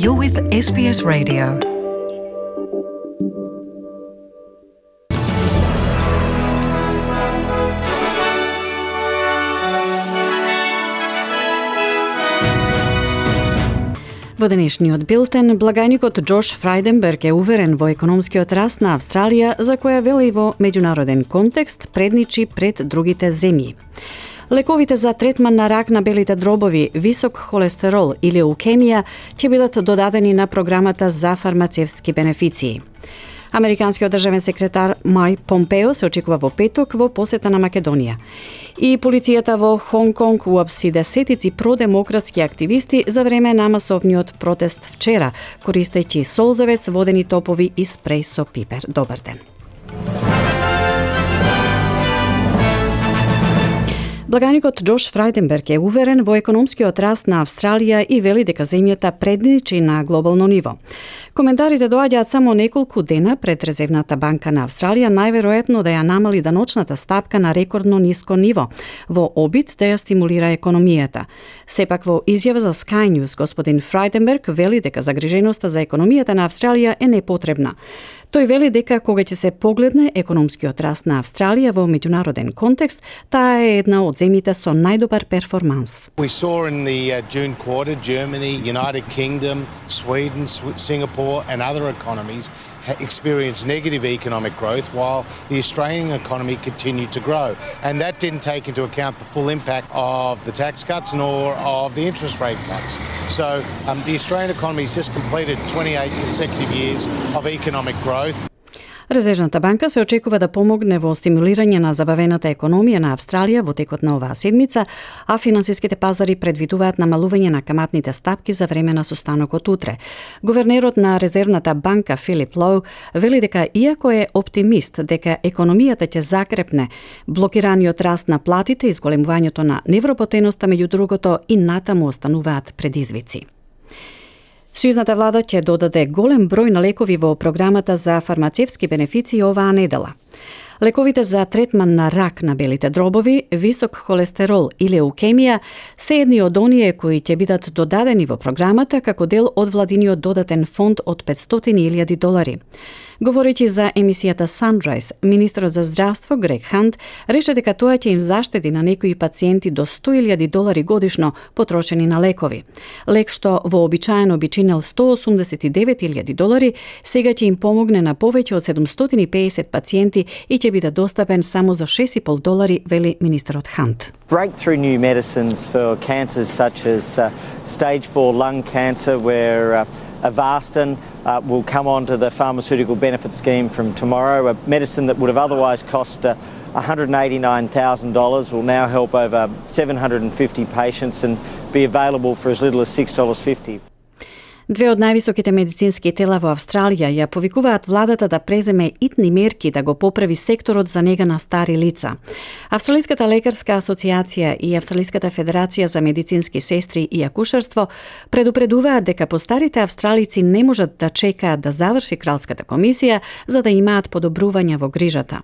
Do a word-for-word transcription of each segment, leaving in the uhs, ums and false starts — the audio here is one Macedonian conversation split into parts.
You're with S B S Radio. Во денешниот билтен, благајникот Џош Фрајденберг е уверен во економскиот раст на Австралија, за која вели во меѓународен контекст предничи пред другите земји. Лековите за третман на рак на белите дробови, висок холестерол или леукемија ќе бидат додадени на програмата за фармацевтски бенефиции. Американскиот државен секретар Мајк Помпео се очекува во петок во посета на Македонија. И полицијата во Хонг Конг уапси десетици продемократски активисти за време на масовниот протест вчера, користејќи солзавец, водени топови и спреј со пипер. Добар ден. Благајникот Џош Фрајденберг е уверен во економскиот раст на Австралија и вели дека земјата предничи на глобално ниво. Коментарите доаѓаат само неколку дена пред Резервната банка на Австралија најверојатно да ја намали даночната стапка на рекордно ниско ниво, во обид да ја стимулира економијата. Сепак во изјава за Sky News господин Фрајденберг вели дека загриженоста за економијата на Австралија е непотребна. Тој вели дека кога ќе се погледне економскиот раст на Австралија во меѓународен контекст, таа е една од земјите со најдобар перформанс. We saw in the uh, June quarter Germany, United Kingdom, Sweden, Singapore and other economies experienced negative economic growth while the Australian economy continued to grow. And that didn't take into account the full impact of the tax cuts nor of the interest rate cuts. So um, the Australian economy has just completed twenty-eight consecutive years of economic growth. Резервната банка се очекува да помогне во стимулирање на забавената економија на Австралија во текот на оваа седмица, а финансиските пазари предвидуваат намалување на каматните стапки за време на состанокот утре. Гувернерот на Резервната банка Филип Лоу вели дека иако е оптимист дека економијата ќе закрепне, блокираниот раст на платите и зголемувањето на невработеноста меѓу другото и натаму остануваат предизвици. Сојузната влада ќе додаде голем број на лекови во програмата за фармацевтски бенефиции оваа недела. Лековите за третман на рак на белите дробови, висок холестерол и леукемија се едни од оние кои ќе бидат додадени во програмата како дел од владиниот додатен фонд од петстотини илјади долари. Говорејќи за емисијата Sunrise, министерот за здравство Грег Хант рече дека тоа ќе им заштеди на некои пациенти до сто илјади долари годишно потрошени на лекови. Лек што вообичаено би чинел сто осумдесет и девет илјади долари, сега ќе им помогне на повеќе од седумстотини и пеесет пациенти и ќе биде достапен само за шест и пол долари, вели министерот Хант. Breakthrough new medicines for cancers such as uh, stage four lung cancer where uh, Avastin uh, will come onto the pharmaceutical benefit scheme from tomorrow. A medicine that would have otherwise cost uh, one hundred eighty-nine thousand dollars will now help over seven hundred fifty patients and be available for as little as six dollars fifty. Две од највисоките медицински тела во Австралија ја повикуваат владата да преземе итни мерки да го поправи секторот за нега на стари лица. Австралиската лекарска асоциација и Австралиската федерација за медицински сестри и акушерство предупредуваат дека постарите австралици не можат да чекаат да заврши кралската комисија за да имаат подобрувања во грижата.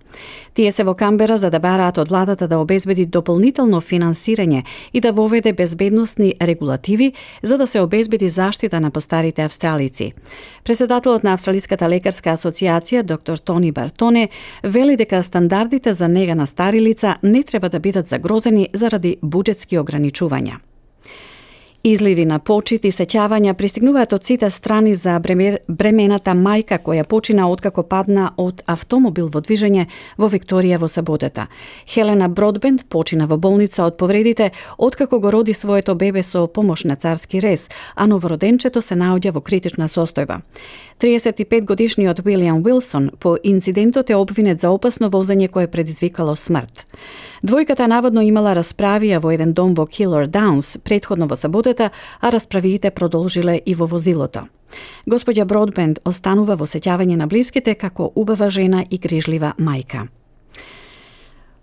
Тие се во Камбера за да бараат од владата да обезбеди дополнително финансирање и да воведе безбедносни регулативи за да се обезбеди заштита на постарите старите австралици. Председателот на Австралиската лекарска асоциација, доктор Тони Бартоне, вели дека стандардите за нега на стари лица не треба да бидат загрозени заради буџетски ограничувања. Изливи на почит и сеќавања пристигнуваат од сите страни за бремената мајка која почина откако падна од автомобил во движење во Викторија во саботата. Хелена Бродбенд почина во болница од повредите откако го роди своето бебе со помош на царски рез, а новороденчето се наоѓа во критична состојба. триесет и пет годишниот Уилијам Уилсон по инцидентот е обвинет за опасно возење кое предизвикало смрт. Двојката наводно имала расправија во еден дом во Килор Даунс претходно во саботата, а расправиите продолжиле и во возилото. Господја Бродбенд останува во сеќавање на блиските како убава жена и грижлива мајка.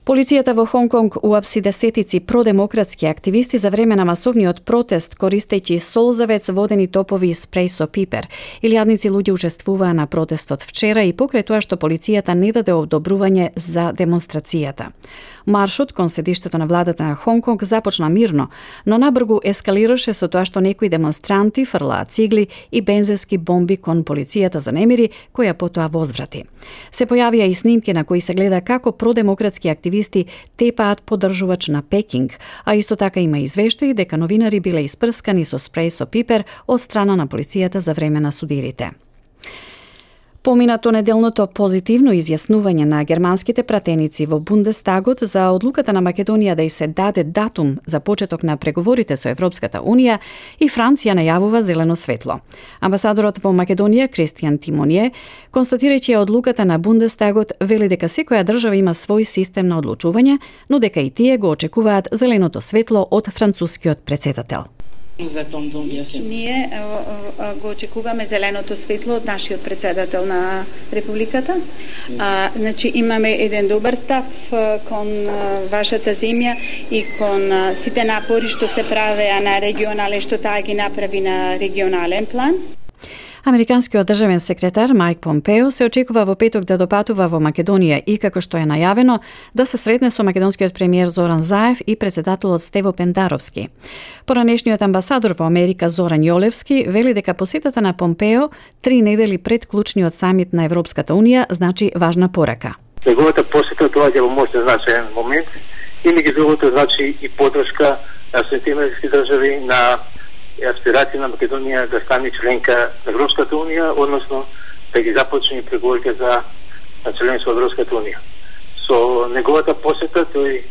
Полицијата во Хонг Конг уапси десетици продемократски активисти за време на масовниот протест, користејќи солзавец, водени топови и спреј со пипер. Илјадници луѓе учествуваа на протестот вчера и покрај тоа што полицијата не даде одобрување за демонстрацијата. Маршот кон седиштето на владата на Хонг Конг започна мирно, но набргу ескалираше со тоа што некои демонстранти фрлаа цигли и бензински бомби кон полицијата за немири, која потоа возврати. Се појавија и снимки на кои се гледа како продемократски активисти тепаат поддржувач на Пекинг, а исто така има извештаи дека новинари биле испрскани со спреј со пипер од страна на полицијата за време на судирите. Поминато неделното позитивно изјаснување на германските пратеници во Бундестагот за одлуката на Македонија да й се даде датум за почеток на преговорите со Европската Унија и Франција најавува зелено светло. Амбасадорот во Македонија Кристијан Тимонје, констатирајќи одлуката на Бундестагот, вели дека секоја држава има свој систем на одлучување, но дека и тие го очекуваат зеленото светло од францускиот претседател. Ние го очекуваме зеленото светло од нашиот претседател на Републиката. А, значи имаме еден добар став кон вашата земја и кон сите напори што се правеа на регионален, што таа ги направи на регионален план. Американскиот државен секретар Мајк Помпео се очекува во петок да допатува во Македонија и, како што е најавено, да се сретне со македонскиот премиер Зоран Заев и претседателот Стево Пендаровски. Поранешниот амбасадор во Америка Зоран Јолевски вели дека посетата на Помпео три недели пред клучниот самит на Европската Унија значи важна порака. Неговата посета доаѓа во можен значаен момент и меѓу другото значи и поддршка на Соединетите американски држави на аспирација на Македонија да стане членка на Европската Унија, односно да ги започне преговорите за членство во Европската Унија. Со неговата посета тој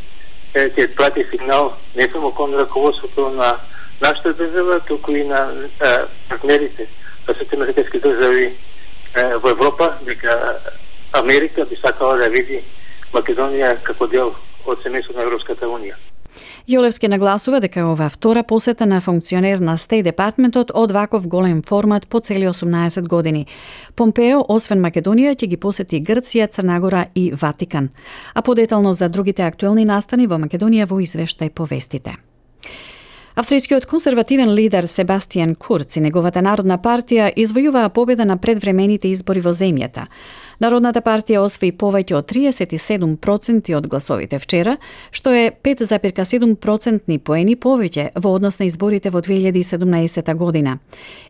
ќе прати сигнал не само кон раководството на нашата држава, туку и на е, партнерите на Соединетите американски држави е, во Европа, дека Америка би сакала да види Македонија како дел од семејството на Европската Унија. Јолевски нагласува дека ова втора посета на функционер на Стејт департментот од ваков голем формат по цели осумнаесет години. Помпео, освен Македонија, ќе ги посети Грција, Црнагора и Ватикан. А подетално за другите актуелни настани во Македонија во извештај по вестите. Австријскиот конзервативен лидер Себастијан Курц и неговата Народна партија извојуваа победа на предвремените избори во земјата. Народната партија освои повеќе од триесет и седум проценти од гласовите вчера, што е пет зарез седум процентни поени повеќе во однос на изборите во две илјади и седумнаесета година.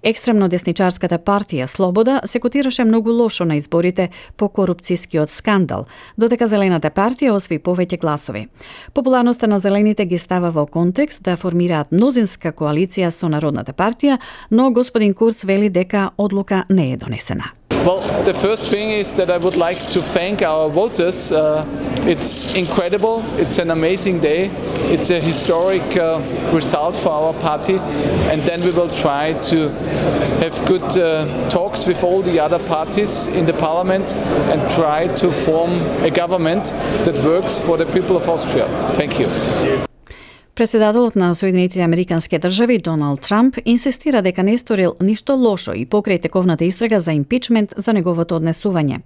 Екстремно десничарската партија Слобода се котираше многу лошо на изборите по корупцијскиот скандал, додека Зелената партија освои повеќе гласови. Популарноста на Зелените ги става во контекст да формираат мнозинска коалиција со Народната партија, но господин Курц вели дека одлука не е донесена. Well, the first thing is that I would like to thank our voters. Uh, it's incredible. It's an amazing day. It's a historic uh, result for our party. And then we will try to have good uh, talks with all the other parties in the parliament and try to form a government that works for the people of Austria. Thank you. Председателот на Соединетите американски држави Доналд Трамп инсистира дека не сторил ништо лошо и покрај тековната истрага за импичмент за неговото однесување.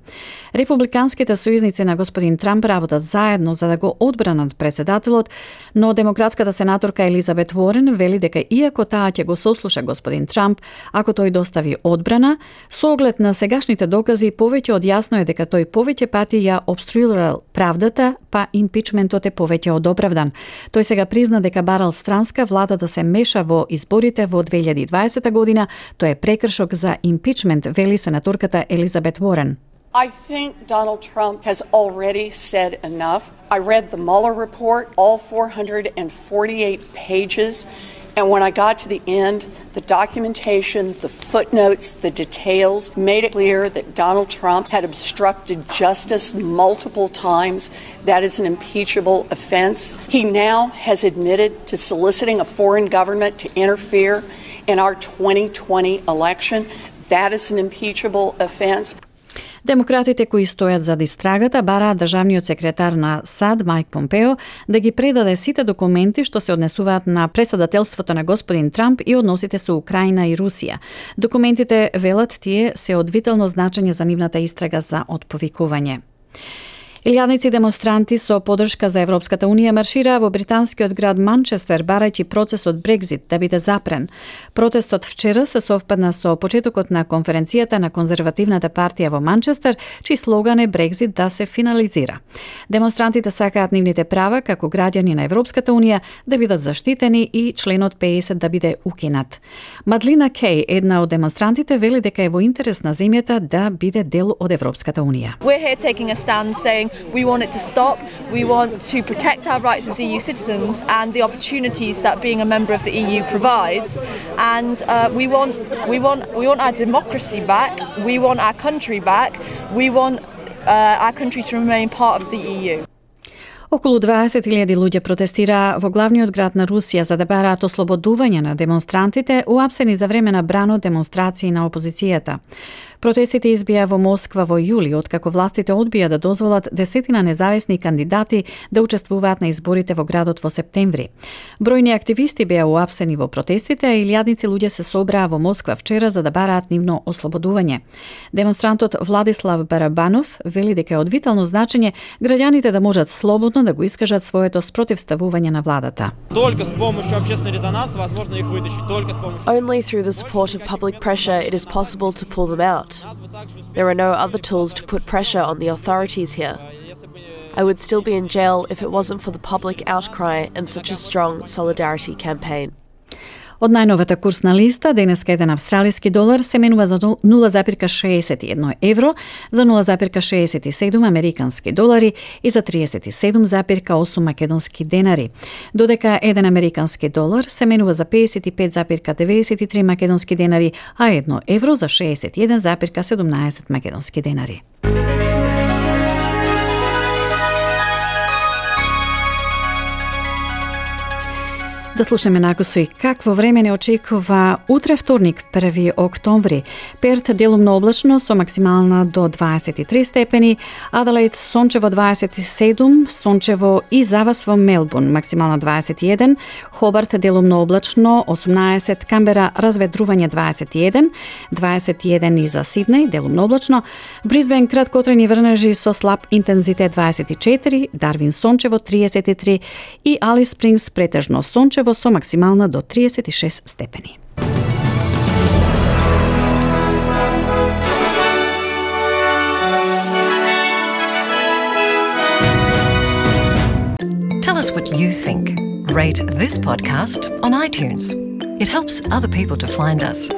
Републиканските сојузници на господин Трамп работат заедно за да го одбранат председателот, но демократската сенаторка Елизабет Уорен вели дека иако таа ќе го сослуша господин Трамп ако тој достави одбрана, со оглед на сегашните докази повеќе од јасно е дека тој повеќе пати ја обструирал правдата, па импичментот е повеќе од оправдан. Тој сега призна дека барал странска влада да се меша во изборите во две илјади и дваесета година, тоа е прекршок за импичмент, вели сенаторката Елизабет Уорен. I think Donald Trump has already said enough. I read the Mueller report, all four hundred forty-eight pages, and when I got to the end, the documentation, the footnotes, the details made it clear that Donald Trump had obstructed justice multiple times. That is an impeachable offense. He now has admitted to soliciting a foreign government to interfere in our twenty twenty election. That is an impeachable offense. Демократите кои стојат зад истрагата бараат државниот секретар на САД Мајк Помпео да ги предаде сите документи што се однесуваат на председателството на господин Трамп и односите со Украина и Русија. Документите, велат тие, се од витално значење за нивната истрага за отповикување. Илјадници демонстранти со поддршка за Европската унија маршираа во британскиот град Манчестер барајќи процесот Брекзит да биде запрен. Протестот вчера се совпадна со почетокот на конференцијата на конзервативната партија во Манчестер, чиј слоган е Брекзит да се финализира. Демонстрантите сакаат нивните права како граѓани на Европската унија да бидат заштитени и членот педесет да биде укинат. Мадлина Кеј, една од демонстрантите, вели дека е во интерес на земјата да биде дел од Европската унија. We're here taking a stand saying we want it to stop, we want to protect our rights as E U citizens and the opportunities that being a member of the E U provides, and uh, we want we want we want our democracy back, we want our country back, we want uh, our country to remain part of the E U. Околу дваесет илјади луѓе протестираа во главниот град на Русија за да бараат ослободување на демонстрантите уапсени за време на брано демонстрации на опозицијата. Протестите избија во Москва во јули, откако властите одбија да дозволат десетина независни кандидати да учествуваат на изборите во градот во септември. Бројни активисти беа уапсени во протестите, а илјадници луѓе се собраа во Москва вчера за да бараат нивно ослободување. Демонстрантот Владислав Барабанов вели дека е од витално значење граѓаните да можат слободно да го искажат своето спротивставување на владата. Только с помощью общественного резонанса возможно их вытащить. Только с помощью. Only through the support of public pressure it is possible to pull them out. There are no other tools to put pressure on the authorities here. I would still be in jail if it wasn't for the public outcry and such a strong solidarity campaign. Од најновата курсна листа, денеска еден австралиски долар се менува за нула запирка шеесет и едно евро, за нула запирка шеесет и седум американски долари и за триесет и седум запирка осум македонски денари. Додека еден американски долар се менува за педесет и пет запирка деведесет и три македонски денари, а едно евро за шеесет и еден запирка седумнаесет македонски денари. Да слушаме накусој какво време не очекува утре вторник, први октомври. Перт делумно облачно со максимална до дваесет и три степени, Аделаид сончево дваесет и седум, сончево и завас во Мелбурн максимална дваесет и еден, Хобарт делумно облачно осумнаесет, Камбера разведрување дваесет и еден, дваесет и еден и за Сиднеј делумно облачно, Брисбен краткотрени врнежи со слаб интензитет дваесет и четири, Дарвин сончево триесет и три и Алис Спрингс претежно сончево со максимална до триесет и шест степени. Tell us what you think. Rate this podcast on iTunes. It helps other people to find us.